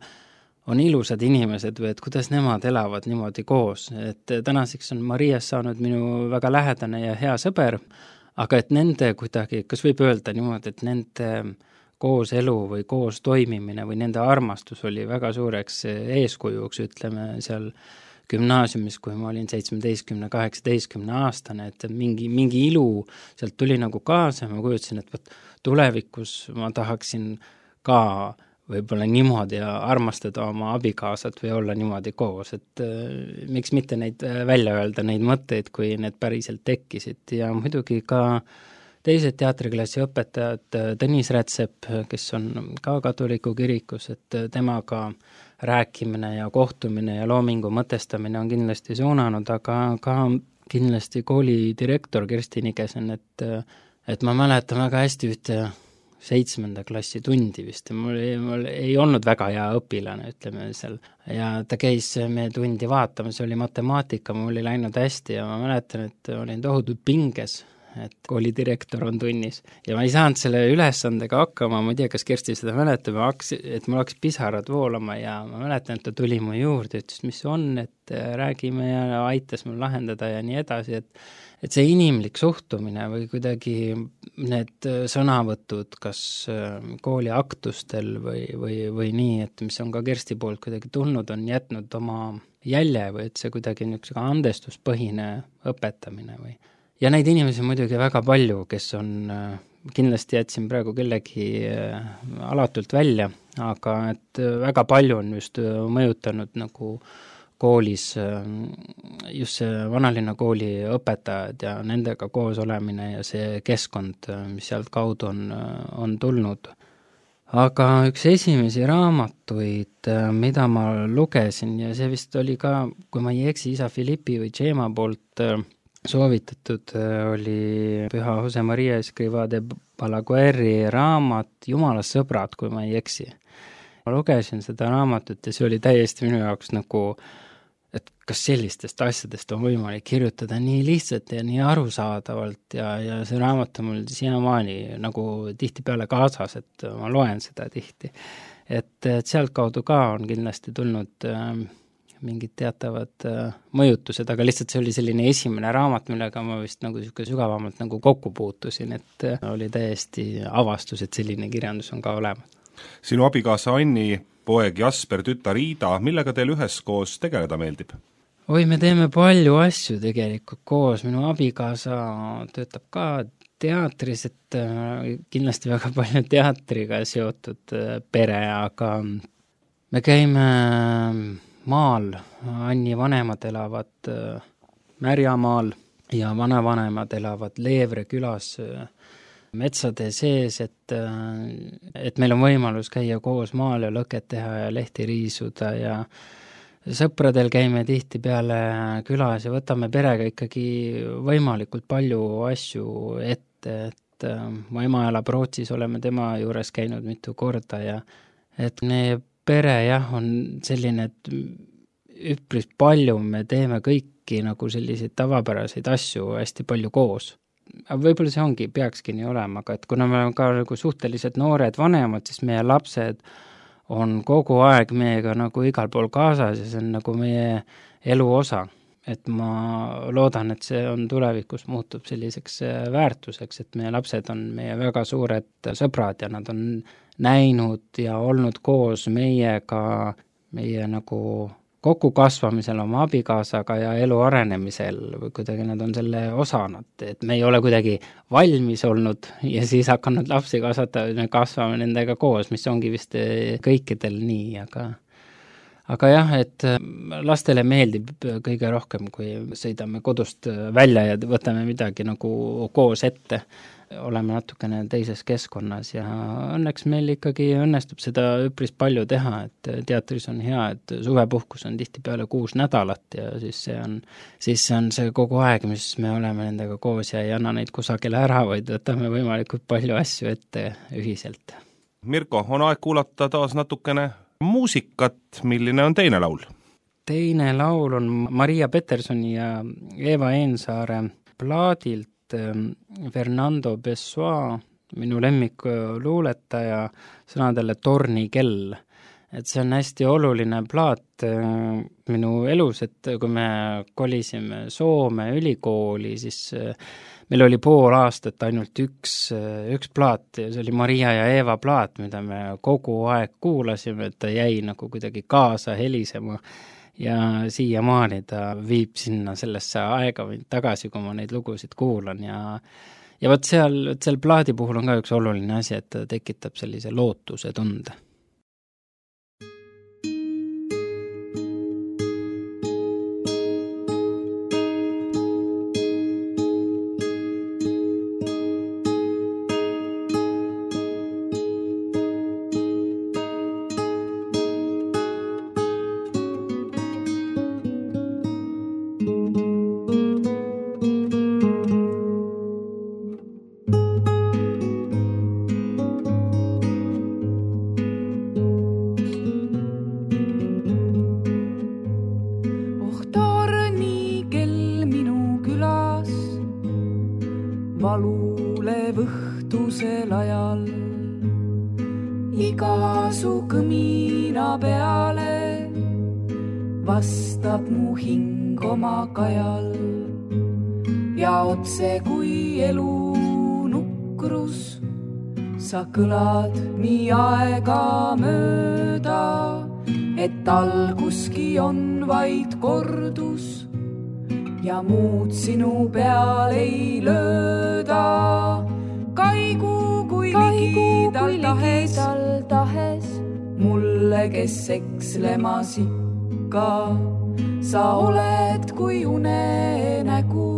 on ilusad inimesed või et kuidas nemad elavad niimoodi koos, et tänaseks on Marias saanud minu väga lähedane ja hea sõber, aga et nende kuidagi, kas võib öelda niimoodi, et nende koos elu või koos toimimine või nende armastus oli väga suureks eeskujuks, ütleme seal gümnaasiumis, kui ma olin seitsmeteistkümne, kaheksateistkümne aastane, et mingi, mingi ilu sealt tuli nagu kaasa ja ma kujutasin, et võt, tulevikus ma tahaksin ka võib-olla niimoodi armastada oma abikaasat või olla niimoodi koos, et äh, miks mitte neid välja öelda, neid mõtteid, kui need päriselt tekkisid ja muidugi ka teised teatriklassi õpetajad, Tõnis Rätsep, kes on ka katoliku kirikus, et temaga rääkimine ja kohtumine ja loomingu mõtestamine on kindlasti suunanud, aga ka kindlasti kooli direktor Kersti Nigesen, et, et ma mäletan väga hästi ühte seitsmenda klassi tundi vist, mul ei, mul ei olnud väga hea õpilane, ütleme seal, ja ta käis meie tundi vaatama, see oli matemaatika, mul oli läinud hästi ja ma mäletan, et olin tohutult pinges, et koolidirektor on tunnis ja ma ei saanud selle ülesandega hakkama, ma ei tea, kas Kersti seda mäletab, et mul hakkas pisarad voolama ja ma mäletan, et ta tuli mu juurde, ütles, mis on, et räägime ja aitas mul lahendada ja nii edasi, et et see inimlik suhtumine või kuidagi need sõnavõtud, kas kooli aktustel või, või, või nii, et mis on ka Kersti poolt kuidagi tulnud, on jätnud oma jälje või et see kuidagi niisugune andestuspõhine õpetamine või. Ja neid inimesi muidugi väga palju, kes on, kindlasti jätsin praegu kellegi alatult välja, aga et väga palju on just mõjutanud nagu koolis just see vanalinna kooli õpetajad ja nendega koos olemine ja see keskkond, mis sealt kaudu on, on tulnud. Aga üks esimesi raamatuid, mida ma lugesin ja see vist oli ka, kui ma ei eksi, isa Filippi või Džeema poolt soovitatud, oli Püha Jose Maria Escrivá de Balagueri raamat Jumala sõbrad, kui ma ei eksi. Ma lugesin seda raamatut ja see oli täiesti minu jaoks nagu et kas sellistest asjadest on võimalik kirjutada nii lihtsalt ja nii arusaadavalt ja, ja see raamat on mul siiamaani nagu tihtipeale kaasas, et ma loen seda tihti. Et, et sealt kaudu ka on kindlasti tulnud äh, mingid teatavad äh, mõjutused, aga lihtsalt see oli selline esimene raamat, millega ma vist nagu sügavamalt nagu kokku puutusin, et äh, oli täiesti avastus, et selline kirjandus on ka olemas. Sinu abikaasa Anni, poeg Jasper, tütar Iida, millega teil üheskoos tegeleda meeldib? Oi, me teeme palju asju tegelikult koos, minu abikaasa töötab ka teatris, et kindlasti väga palju teatriga seotud pere, aga me käime maal, Anni vanemad elavad Märjamaal ja vanavanemad elavad Leevre külas metsade sees, et, et meil on võimalus käia koos maal ja lõket teha ja lehti riisuda ja sõpradel käime tihti peale külas ja võtame perega ikkagi võimalikult palju asju ette, et mu ema elab Rootsis, oleme tema juures käinud mitu korda ja et need pere jah, on selline, et üpris palju me teeme kõiki nagu selliseid tavapäraseid asju hästi palju koos. Võib-olla see ongi, peakski nii olema, aga et kuna me oleme ka nagu suhteliselt noored vanemad, siis meie lapsed on kogu aeg meiega nagu igal pool kaasas ja see on nagu meie elu osa. Et ma loodan, et see on tulevikus muutub selliseks väärtuseks, et meie lapsed on meie väga suured sõbrad ja nad on näinud ja olnud koos meiega meie nagu kokkukasvamisel oma abikaasaga ja elu arenemisel või kuidagi nad on selle osanud, et me ei ole kuidagi valmis olnud ja siis hakanud lapsi kasvatada, me kasvame nendega koos, mis ongi vist kõikidel nii, aga aga jah, et lastele meeldib kõige rohkem, kui sõidame kodust välja ja võtame midagi nagu koos ette. Oleme natukene teises keskkonnas ja õnneks meil ikkagi õnnestub seda üpris palju teha, et teatris on hea, et suvepuhkus on tihti peale kuus nädalat ja siis see on, siis see on see kogu aeg, mis me oleme nendega koos ja ei anna neid kusagile ära, vaid võtame võimalikult palju asju ette ühiselt. Mirko, on aeg kuulata taas natukene muusikat, milline on teine laul? Teine laul on Maria Petersoni ja Eva Eensaare plaadilt Fernando Pessoa, minu lemmik luuletaja, sõnadele Torni kell. Et see on hästi oluline plaat minu elus, et kui me kolisime Soome ülikooli, siis meil oli pool aastat ainult üks, üks plaat, see oli Maria ja Eva plaat, mida me kogu aeg kuulasime, et ta jäi nagu kuidagi kaasa helisema ja siiamaani ta viib sinna sellesse aega või tagasi, kui ma neid lugusid kuulan ja ja võt seal, seal plaadi puhul on ka üks oluline asi, et ta tekitab sellise lootuse tunde. Valulev õhtusel ajal iga su kõmina peale vastab mu hing oma kajal ja otse kui elu nukrus sa kõlad nii aega mööda, et alguski on vaid kordus ja muud sinu peal ei lööda. Kaigu kui ligidal tahes, tahes, mulle, kes ekslemas ikka, sa oled kui unenägu,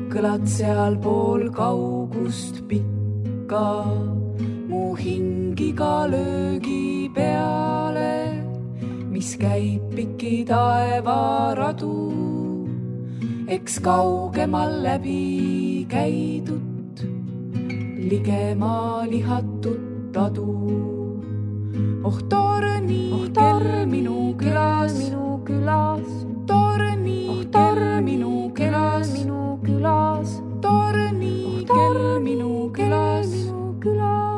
kõlad seal pool kaugust pikka, mu hingiga löögi peale, mis käib piki taevaradu. Eks kaugemal läbi käidut, ligema lihatut tadu. Oh torni oh, kell minu külas, minu külas. Torni oh, kell minu külas, minu külas. Torni oh, kell minu külas, minu külas.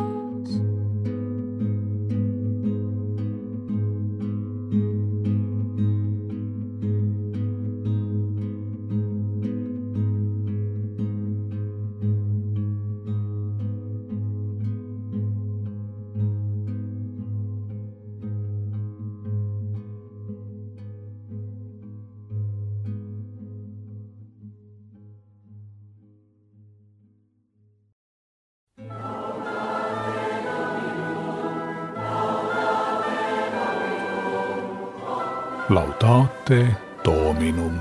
Laudate Dominum.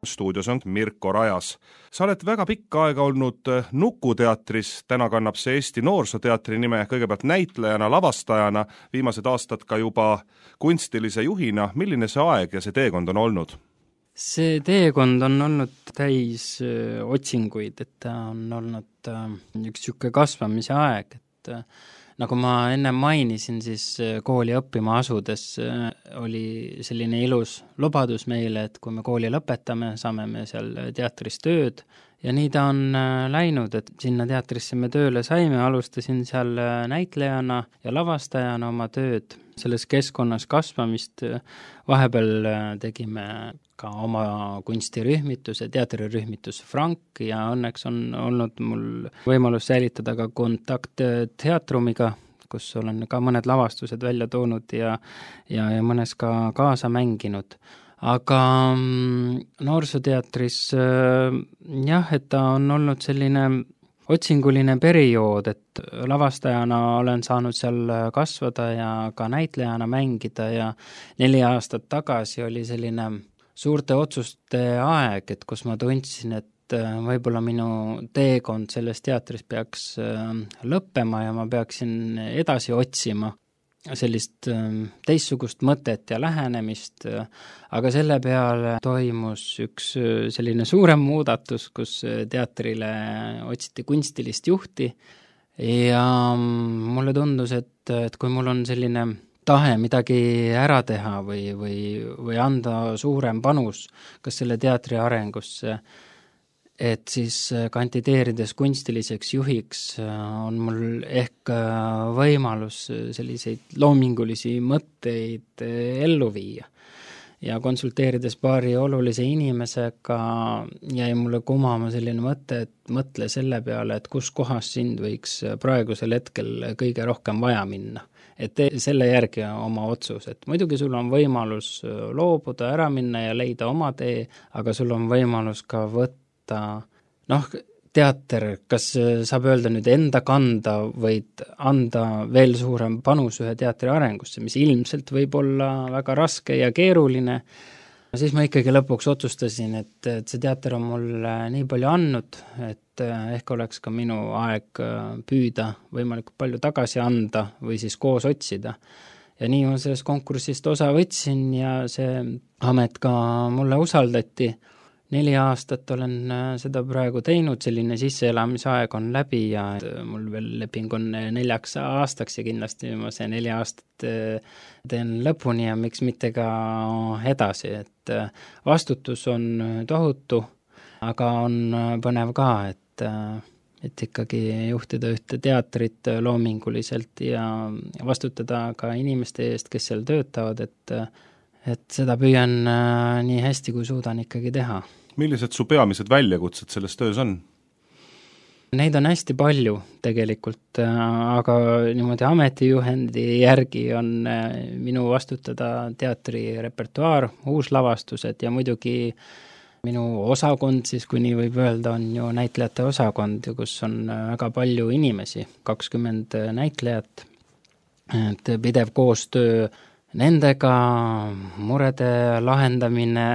Stuudios on Mirko Rajas. Sa oled väga pikka aega olnud Nukuteatris, täna kannab see Eesti Noorsooteatri nime, kõigepealt näitlejana, lavastajana, viimased aastad ka juba kunstilise juhina. Milline see aeg ja see teekond on olnud? see teekond on olnud täis otsinguid, et ta on olnud üks niisugune kasvamise aeg, et nagu ma enne mainisin, siis kooli õppima asudes oli selline ilus lubadus meile, et kui me kooli lõpetame, saame me seal teatris tööd ja nii ta on läinud, et sinna teatrisse me tööle saime, alustasin seal näitlejana ja lavastajana oma tööd, selles keskkonnas kasvamist, vahepeal tegime ka oma kunstirühmituse, teatrirühmitus Frank ja õnneks on olnud mul võimalus säilitada ka kontakt teatrumiga, kus olen ka mõned lavastused välja toonud ja, ja, ja mõnes ka kaasa mänginud. Aga noorsooteatris jah, et ta on olnud selline otsinguline periood, et lavastajana olen saanud seal kasvada ja ka näitlejana mängida ja neli aastat tagasi oli selline suurte otsuste aeg, et kus ma tundsin, et võib-olla minu teekond selles teatris peaks lõppema ja ma peaksin edasi otsima sellist teistsugust mõtet ja lähenemist, aga selle peale toimus üks selline suurem muudatus, kus teatrile otsiti kunstilist juhti ja mulle tundus, et, et kui mul on selline tahe midagi ära teha või, või, või anda suurem panus kas selle teatri arengusse, et siis kandideerides kunstiliseks juhiks on mul ehk võimalus selliseid loomingulisi mõtteid ellu viia. Ja konsulteerides paari olulise inimesega jäi mulle kumama selline mõte, et mõtle selle peale, et kus kohas sind võiks praegusel hetkel kõige rohkem vaja minna. Et tee selle järgi oma otsus, et muidugi sul on võimalus loobuda, ära minna ja leida oma tee, aga sul on võimalus ka võtta, noh, teater, kas saab öelda nüüd enda kanda, võid anda veel suurem panus ühe teatri arengusse, mis ilmselt võib olla väga raske ja keeruline. Siis ma ikkagi lõpuks otsustasin, et, et see teater on mul nii palju andnud, et ehk oleks ka minu aeg püüda võimalikult palju tagasi anda või siis koos otsida. Ja nii ma sellest konkursist osa võtsin ja see amet ka mulle usaldati. Neli aastat olen seda praegu teinud, selline sisseelamisaeg on läbi ja mul veel leping on neljaks aastaks ja kindlasti ma see neli aastat teen lõpuni ja miks mitte ka edasi, et vastutus on tohutu, aga on põnev ka, et, et ikkagi juhtida ühte teatrit loominguliselt ja vastutada ka inimeste eest, kes seal töötavad, et, et seda püüan nii hästi, kui suudan ikkagi teha. Millised su peamised väljakutsed selles töös on? Neid on hästi palju tegelikult, aga niimoodi ametijuhendi järgi on minu vastutada teatri repertuaar, uuslavastused ja muidugi minu osakond, siis kui nii võib öelda, on ju näitlejate osakond, kus on väga palju inimesi, kakskümmend näitlejat, et pidev koostöö nendega, murede lahendamine,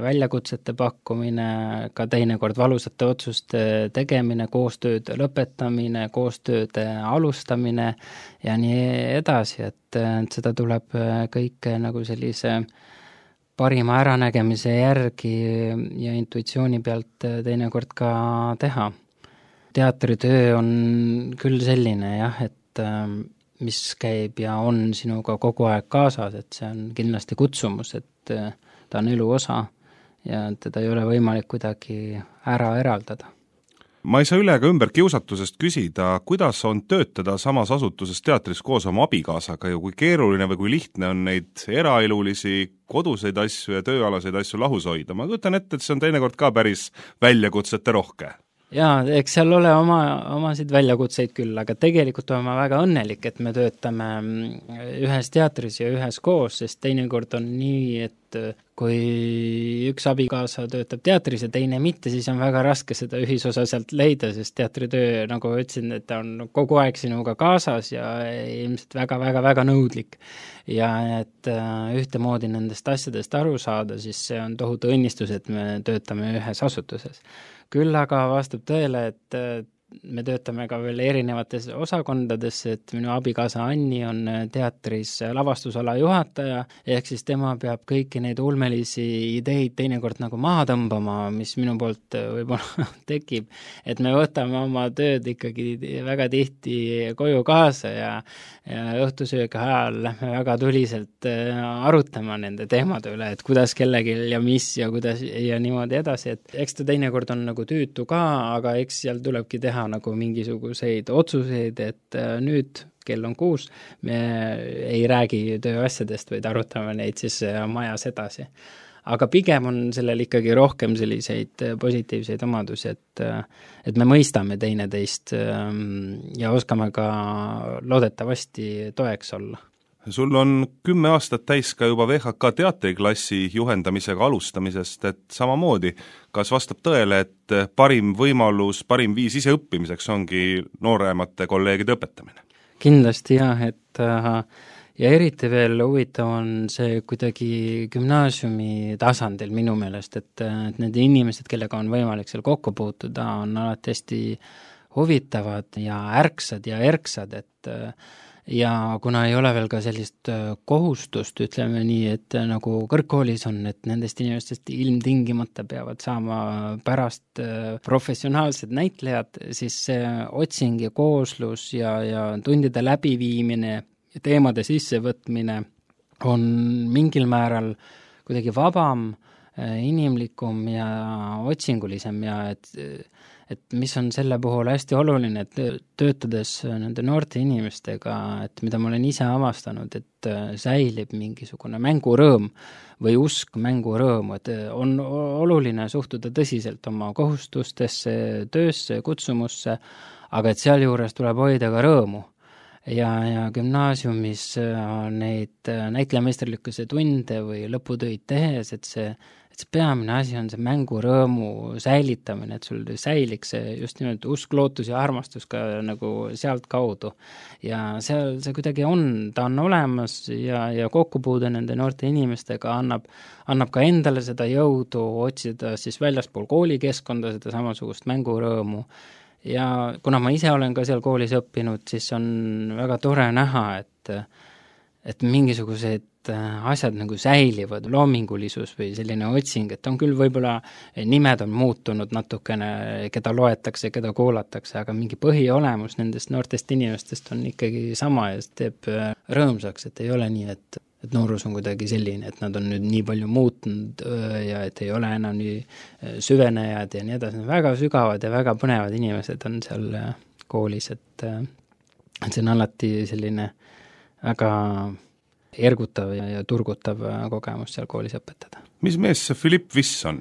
väljakutsete pakkumine, ka teinekord valusate otsuste tegemine, koostööd lõpetamine, koostööd alustamine ja nii edasi, et, et seda tuleb kõike nagu sellise parima äranägemise järgi ja intuitsiooni pealt teinekord ka teha. Teatritöö on küll selline jah, et mis käib ja on sinuga kogu aeg kaasas, et see on kindlasti kutsumus, et ta on elu osa ja teda ei ole võimalik kuidagi ära eraldada. Ma ei saa üle ega ümber kiusatusest küsida, kuidas on töötada samas asutuses teatris koos oma abikaasaga ja kui keeruline või kui lihtne on neid eraelulisi koduseid asju ja tööalaseid asju lahus hoida. Ma kujutan ette, et see on teinekord ka päris väljakutsete rohke. Jaa, eks seal ole oma, omasid väljakutseid küll, aga tegelikult olen ma väga õnnelik, et me töötame ühes teatris ja ühes koos, sest teinekord on nii, et kui üks abikaasa töötab teatris ja teine mitte, siis on väga raske seda ühisosa sealt leida, sest teatritöö, nagu ütlesin, et ta on kogu aeg sinuga kaasas ja ilmselt väga-väga-väga nõudlik. Ja et ühtemoodi nendest asjadest aru saada, siis see on tohutu õnnistus, et me töötame ühes asutuses. Küll aga vastab tõele, et me töötame ka veel erinevates osakondades, et minu abikaasa Anni on teatris lavastusala juhataja, ehk siis tema peab kõiki neid ulmelisi ideid teinekord nagu maha tõmbama, mis minu poolt võib-olla tekib, et me võtame oma tööd ikkagi väga tihti koju kaasa ja, ja õhtusöögi ajal lähme väga tuliselt arutama nende teemade üle, et kuidas kellegi ja mis ja kuidas ja niimoodi edasi, et eks ta teinekord on nagu tüütu ka, aga eks seal tulebki teha nagu mingisuguseid otsuseid, et nüüd kell on kuus, me ei räägi tööasjadest, vaid arutame neid siis majas edasi. Aga pigem on sellel ikkagi rohkem selliseid positiivseid omadusi, et, et me mõistame teineteist ja oskame ka loodetavasti toeks olla. Sul on kümme aastat täis ka juba V H K teatriklassi juhendamisega alustamisest, et samamoodi, kas vastab tõele, et parim võimalus, parim viis ise õppimiseks ongi nooremate kolleegide õpetamine? Kindlasti jah, et ja eriti veel huvitav on see kuidagi gümnaasiumi tasandil minu meelest, et, et need inimesed, kellega on võimalik seal kokku puutuda, on alati hästi huvitavad ja ärksad ja erksad, et ja kuna ei ole veel ka sellist kohustust, ütleme nii, et nagu kõrgkoolis on, et nendest inimestest ilmtingimata peavad saama pärast professionaalsed näitlejad, siis see otsing ja kooslus ja, ja tundide läbiviimine ja teemade sissevõtmine on mingil määral kuidagi vabam, inimlikum ja otsingulisem ja et et mis on selle puhul hästi oluline, et töötades nende noorte inimestega, et mida ma olen ise avastanud, et säilib mingisugune mängurõõm või usk mängurõõmu, et on oluline suhtuda tõsiselt oma kohustustesse, töösse, kutsumusse, aga et sealjuures tuleb hoida ka rõõmu. Ja, ja gümnaasiumis neid näitlejameisterlikkuse tunde või lõputöid tehes, et see et see peamine asi on see mängurõõmu säilitamine, et sul säiliks see just nimelt usk, lootus ja armastus ka nagu sealt kaudu. Ja seal see kuidagi on, ta on olemas ja, ja kokkupuude nende noorte inimestega annab, annab ka endale seda jõudu otsida siis väljaspool koolikeskkonda seda samasugust mängurõõmu. Ja kuna ma ise olen ka seal koolis õppinud, siis on väga tore näha, et, et mingisugused asjad nagu säilivad, loomingulisus või selline otsing, et on küll võib-olla nimed on muutunud natukene, keda loetakse, keda kuulatakse, aga mingi põhiolemus nendest noortest inimestest on ikkagi sama ja see teeb rõõmsaks, et ei ole nii, et, et noorus on kuidagi selline, et nad on nüüd nii palju muutunud ja et ei ole enam nii süvenejad ja nii edasi, väga sügavad ja väga põnevad inimesed on seal koolis, et, et see on alati selline väga ergutav ja, ja turgutav kogemus seal koolis õpetada. Mis mees see Philipp Viss on?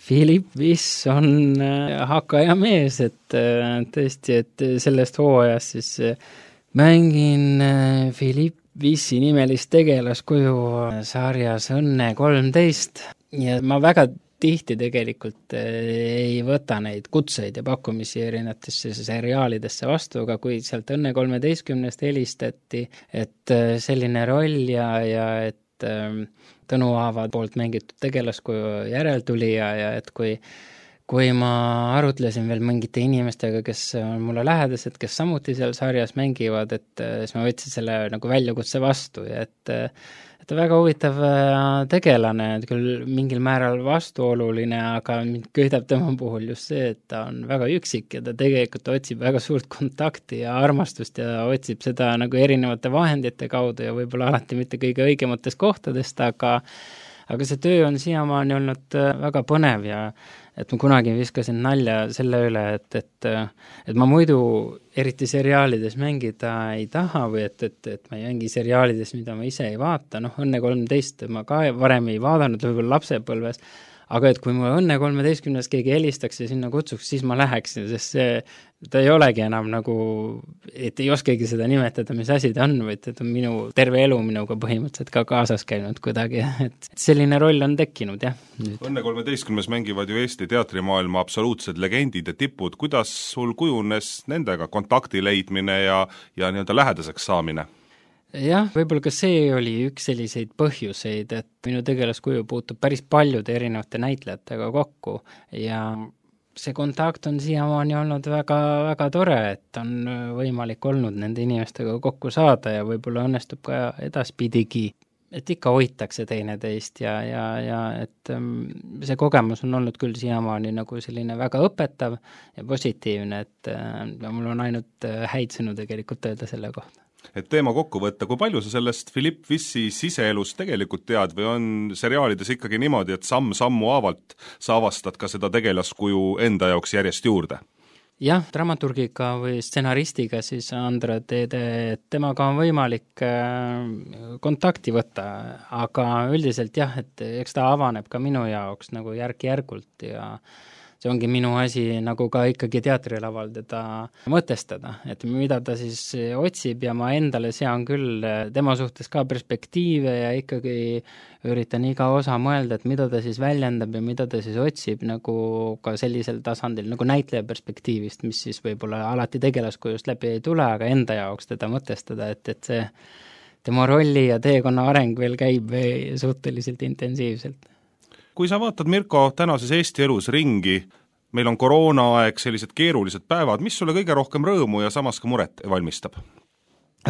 Philipp Viss on hakaja mees, et tõesti, et sellest hooajast siis mängin Philipp Vissi nimelist tegelaskuju sarjas Õnne kolmteist ja ma väga tihti tegelikult ei võta neid kutseid ja pakkumisi erinevatesse seriaalidesse vastu, aga kui sealt Õnne kolmeteistkümnest helistati, et selline roll ja, ja et Tõnu Aava poolt mängitud tegelaskuju järeltulija ja et kui kui ma arutlesin veel mingite inimestega, kes on mulle lähedased, kes samuti seal sarjas mängivad, et siis ma võtsin selle nagu väljakutse vastu ja et et väga huvitav tegelane, et küll mingil määral vastuoluline, aga mind köidab tema puhul just see, et ta on väga üksik ja ta tegelikult otsib väga suurt kontakti ja armastust ja otsib seda nagu erinevate vahendite kaudu ja võib-olla alati mitte kõige õigematest kohtadest, aga aga see töö on siiamaani olnud väga põnev ja et ma kunagi viskasin nalja selle üle, et, et, et ma muidu eriti seriaalides mängida ei taha või et, et, et ma ei mängi seriaalides, mida ma ise ei vaata, noh Õnne kolmteist ma ka varem ei vaadanud, võib-olla lapsepõlves, aga et kui mulle Õnne kolmeteistkümnes keegi helistaks ja sinna kutsuks, siis ma läheksin, sest see, ta ei olegi enam nagu, et ei oskagi seda nimetada, mis asi ta on, vaid et on minu terve elu minuga põhimõtteliselt ka kaasas käinud kuidagi, et selline roll on tekkinud, jah. Nüüd. Õnne kolmeteistkümnes mängivad ju Eesti teatrimaailma absoluutsed legendid ja tipud, kuidas sul kujunes nendega kontakti leidmine ja, ja nii-öelda lähedaseks saamine? Jah, võib-olla ka see oli üks selliseid põhjuseid, et minu tegelaskuju puutub päris paljude erinevate näitlejatega kokku ja see kontakt on siiamaani olnud väga, väga tore, et on võimalik olnud nende inimestega kokku saada ja võib-olla õnnestub ka edaspidigi, et ikka hoitakse teineteist ja, ja, ja et see kogemus on olnud küll siiamaani nagu selline väga õpetav ja positiivne, et mul on ainult häid sõnu tegelikult öelda selle kohta. Et teema kokku võtta, kui palju sa sellest Philipp Vissi siseelust tegelikult tead või on seriaalides ikkagi niimoodi, et samm sammu haavalt sa avastad ka seda tegelaskuju enda jaoks järjest juurde? Jah, dramaturgiga või stsenaristiga siis Andra Teede, et temaga on võimalik kontakti võtta, aga üldiselt jah, et eks ta avaneb ka minu jaoks nagu järk-järgult ja see ongi minu asi nagu ka ikkagi teatrilaval teda mõtestada, et mida ta siis otsib ja ma endale sean küll tema suhtes ka perspektiive ja ikkagi üritan iga osa mõelda, et mida ta siis väljendab ja mida ta siis otsib nagu ka sellisel tasandil nagu näitleja perspektiivist, mis siis võib-olla alati tegelaskujust läbi ei tule, aga enda jaoks teda mõtestada, et, et see tema rolli ja teekonna areng veel käib suhteliselt intensiivselt. Kui sa vaatad, Mirko, tänases Eesti elus ringi, meil on koroonaaeg, sellised keerulised päevad, mis sulle kõige rohkem rõõmu ja samas ka muret valmistab?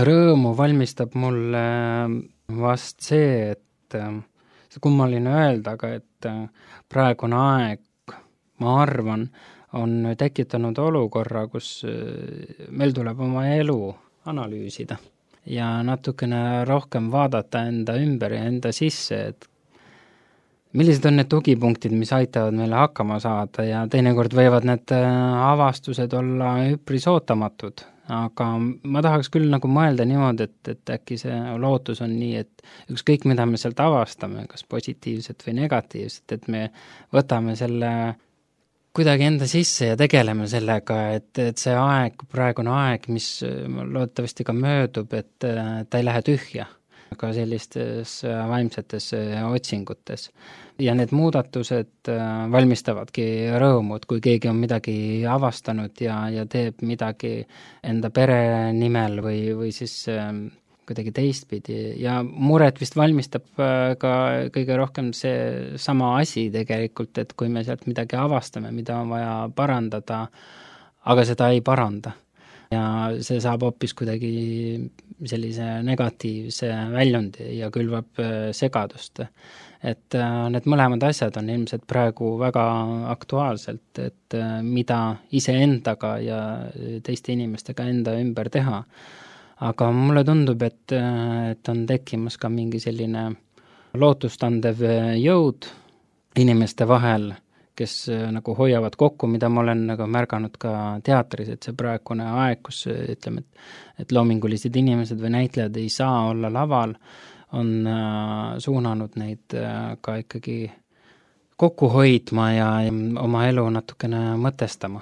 Rõõmu valmistab mulle vast see, et see kummaline öelda, aga et praegune aeg, ma arvan, on tekitanud olukorra, kus meil tuleb oma elu analüüsida ja natukene rohkem vaadata enda ümber ja enda sisse, et millised on need tugipunktid, mis aitavad meile hakkama saada ja teinekord võivad need avastused olla üpris ootamatud, aga ma tahaks küll nagu mõelda niimoodi, et, et äkki see lootus on nii, et ükskõik mida me sealt avastame, kas positiivset või negatiivset, et me võtame selle kuidagi enda sisse ja tegeleme sellega, et, et see aeg, praegune aeg, mis loodetavasti ka möödub, et ta ei lähe tühja ka sellistes vaimsetes otsingutes. Ja need muudatused valmistavadki rõõmu, et kui keegi on midagi avastanud ja, ja teeb midagi enda pere nimel või, või siis kuidagi teistpidi ja muret vist valmistab ka kõige rohkem see sama asi tegelikult, et kui me sealt midagi avastame, mida on vaja parandada, aga seda ei paranda. Ja see saab hoopis kuidagi sellise negatiivse väljundi ja külvab segadust. Et need mõlemad asjad on ilmselt praegu väga aktuaalselt, et mida iseendaga ja teiste inimestega enda ümber teha. Aga mulle tundub, et, et on tekkimas ka mingi selline lootustandev jõud inimeste vahel, kes nagu hoiavad kokku, mida ma olen nagu märganud ka teatris, et see praegune aeg, kus ütleme, et, et loomingulised inimesed või näitlejad ei saa olla laval, on äh, suunanud neid äh, ka ikkagi kokku hoidma ja, ja oma elu natukene mõtestama.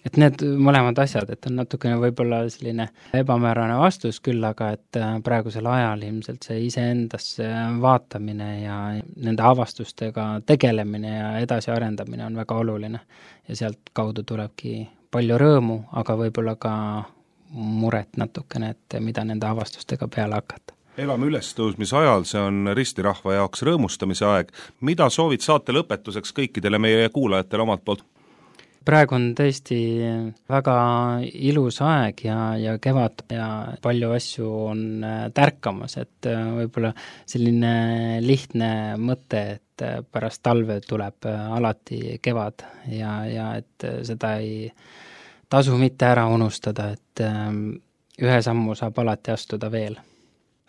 Et need mõlemad asjad, et on natukene võib-olla selline ebamäärane vastus küll, aga et praegusel ajal ilmselt see iseendasse vaatamine ja nende avastustega tegelemine ja edasi arendamine on väga oluline. Ja sealt kaudu tulebki palju rõõmu, aga võib-olla ka muret natukene, et mida nende avastustega peale hakata. Elame ülestõusmise ajal, see on ristirahva jaoks rõõmustamise aeg. Mida soovid saate lõpetuseks kõikidele meie kuulajatele omalt poolt? Praegu on tõesti väga ilus aeg ja, ja kevad ja palju asju on tärkamas, et võib-olla selline lihtne mõte, et pärast talve tuleb alati kevad ja, ja et seda ei tasu mitte ära unustada, et ühe sammu saab alati astuda veel.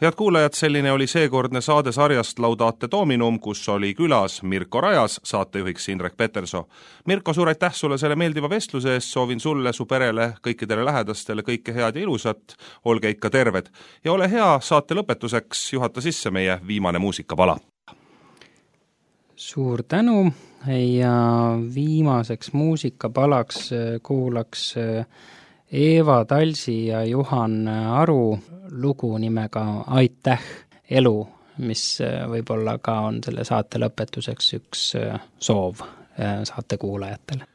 Head kuulajad, selline oli seekordne saade sarjast Laudate Dominum, kus oli külas Mirko Rajas, saatejuhiks Indrek Peterso. Mirko, suur aitäh sulle selle meeldiva vestluse eest, soovin sulle, su perele, kõikidele lähedastele kõike head ja ilusat, olge ikka terved. Ja ole hea, saate lõpetuseks juhata sisse meie viimane muusikapala. Suur tänu ja viimaseks muusikapalaks kuulaks Eeva Talsi ja Juhan Aru lugu nimega Aitäh elu, mis võib-olla ka on selle saate lõpetuseks üks soov saate kuulajatele.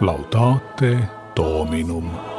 Laudate Dominum.